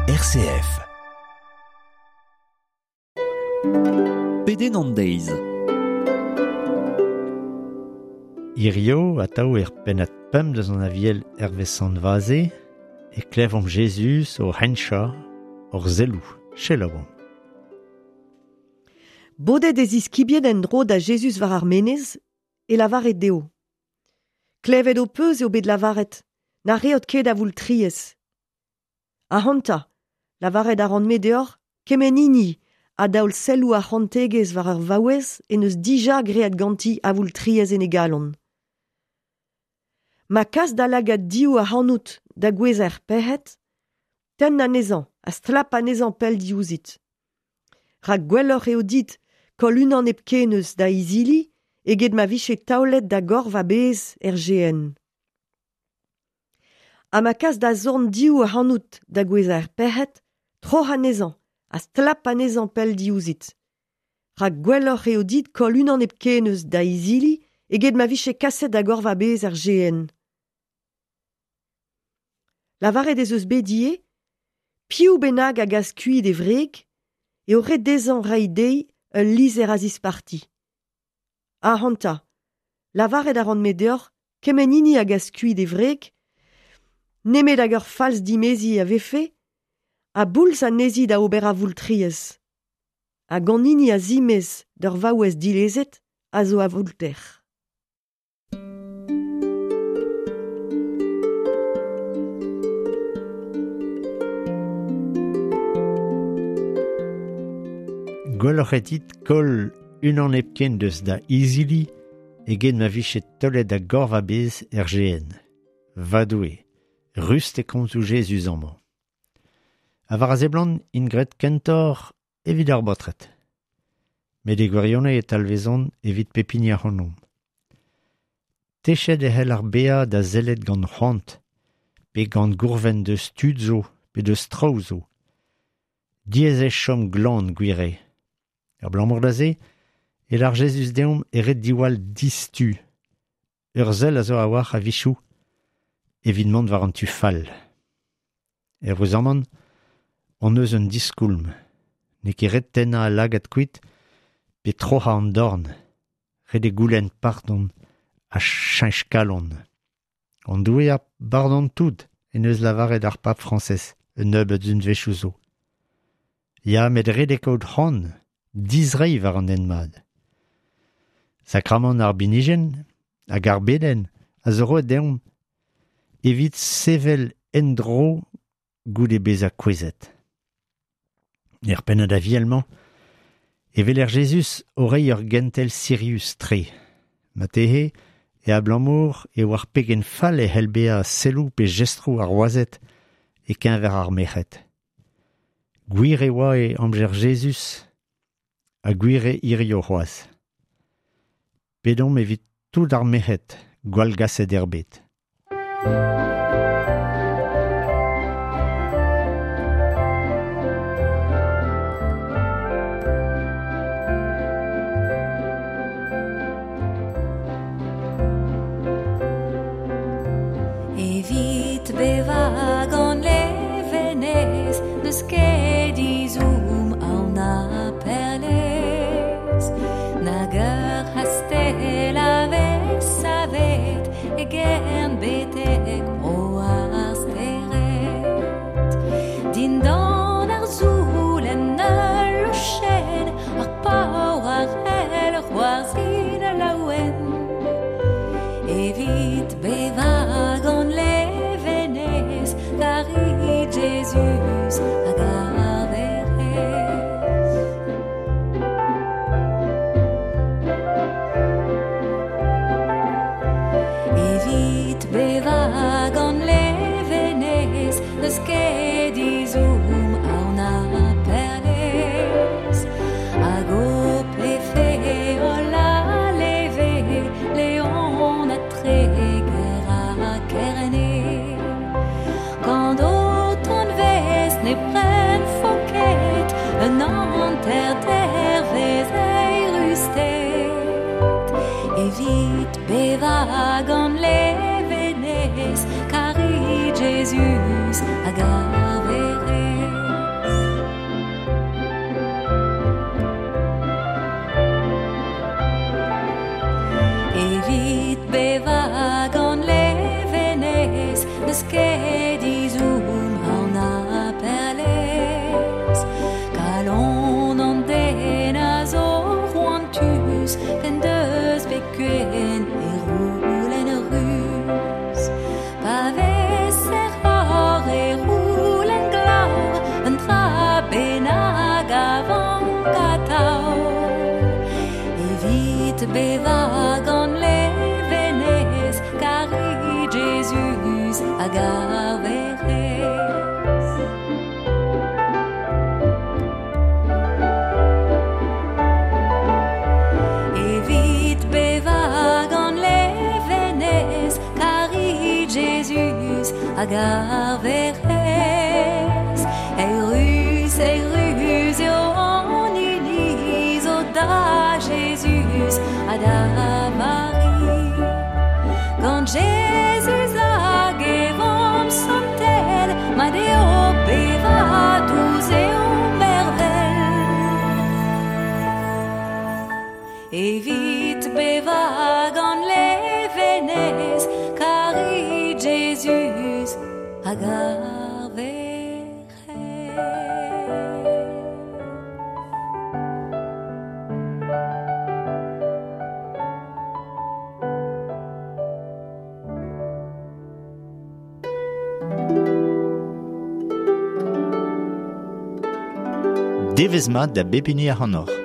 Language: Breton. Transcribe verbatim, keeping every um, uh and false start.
R C F. Pedenn an deiz. Hirio atav er pennad pemp deus an aviel Hervé Sant-Vaze e klevomp Jezuz o hencha hor zelloù, selaouomp. Bodet e ziskibien en-dro da Jezuz war ar menez e lavaret dezho. Klevet ho peus eo bet lavaret, na reot ket a voultriez. Ahanta, lavaret a ran-me deoc'h, kement hini a daol selloù ar c'hantegezh war ur vaouez en eus dija graet ganti a voultriez en e galon. Ma kas da lagad div ac'hanout da gouezhañ er pec'hed, tenn anezhañ ha stlap anezhañ pell diouzhit. Rak gwelloc'h eo dit koll unan hepken eus da izili eget ma vije taolet da gorf a-bezh er G N. Ha ma kas da zorn div ac'hanout da gouezhañ er pec'hed, troc'h anezhañ ha stlap anezhañ pell diouzhit. Rak gwelloc'h eo dit koll unan hepken eus da izili eget ma vije kaset da gorf a-bezh er G N. Lavaret ez eus bet ivez, piv bennak a gas kuit e wreg, eo ret dezhañ reiñ dezhi ul lizher a zisparti. Ahanta, lavaret a ran-me deoc'h, kement hini a gas kuit e wreg, nemet hag ur falz dimeziñ a vefe, a boulz anezhi da ober avoultriez. Hag an hini a zimez d'ur vaouez dilezet a zo avoulter. Gwelloc'h eo dit koll unan hepken deus da izili eget ma vije taolet da gorf a-bezh er G N. Va Doue, rust e komzoù Jezuz amañ. Ha war a seblant int graet kentoc'h evit ar baotred. Met e gwirionez e talvezont evit pep hini ac'hanomp. Techet e c'hell ar bezañ da sellet gant c'hoant, pe gant gourvenn deus tud zo, pe deus traoù zo. Diaes eo chom glan gwir eo. Abalamour da se, e lar Jezuz deomp e ret diwall distu. Ur sell a zo a-walc'h a-wechoù evit mont war an tu fall. Er Rozaman, on eus un diskoulm. N'eo ket ret tennañ al lagad kuit pe troc'hañ an dorn. Ret eo goulenn pardon ha cheñch kalon. An Doue a bardon tout en eus lavaret ar pab Frañsez un nebeud unvezhioù zo. Ya, met ret eo kaout c'hoant, dizreiñ war an hent mat. Sakramant ar binijenn hag ar bedenn a zo roet deomp evit sevel en-dro goude bezañ kouezhet. Er pennad aviel-mañ, e weler Jezuz o reiñ ur gentel sirius-tre. Marteze e abalamour e oar pegen fall e c'hell bezañ selloù pe jestroù ar wazed e-keñver ar merc'hed. Gwir e oa e amzer Jezuz ha gwir eo hirio c'hoazh. Pedomp evit tout ar merc'hed gwallgaset er bed. Evit bevañ gant levenez, n'eus ket izoum aon na perlez. Nag ur c'hastell a vez savet e gern betek bro ar stered. Dindan ar zoul en ul lochenn, ar paour a c'hell c'hoarzhin laouen. Evit bevañ gant levenez, karit Jezuz hag ar Werc'hez. Evit bevañ gant levenez, n'eus ket izoum aon na perlez. Hag ho plefe holl a leve, Leon ha Treger ha Kerne. Gant ho tonvez ne pren ket un hanter dervez eirusted. Evit bevañ gant levenez, karit Jezuz hag ar Werc'hez. hag ar Werc'hez. Evit bevañ gant levenez, karit Jezuz hag ar Werc'hez. Eurus, eurus eo an hini zo da Jezuz ha da Mari. Gant Jezuz hag e vamm santel, mat eo bevañ, dous eo mervel. Evit bevañ gant levenez, karit Jezuz hag ar Werc'hez. Devezh mat da bep hini ac'hanoc'h.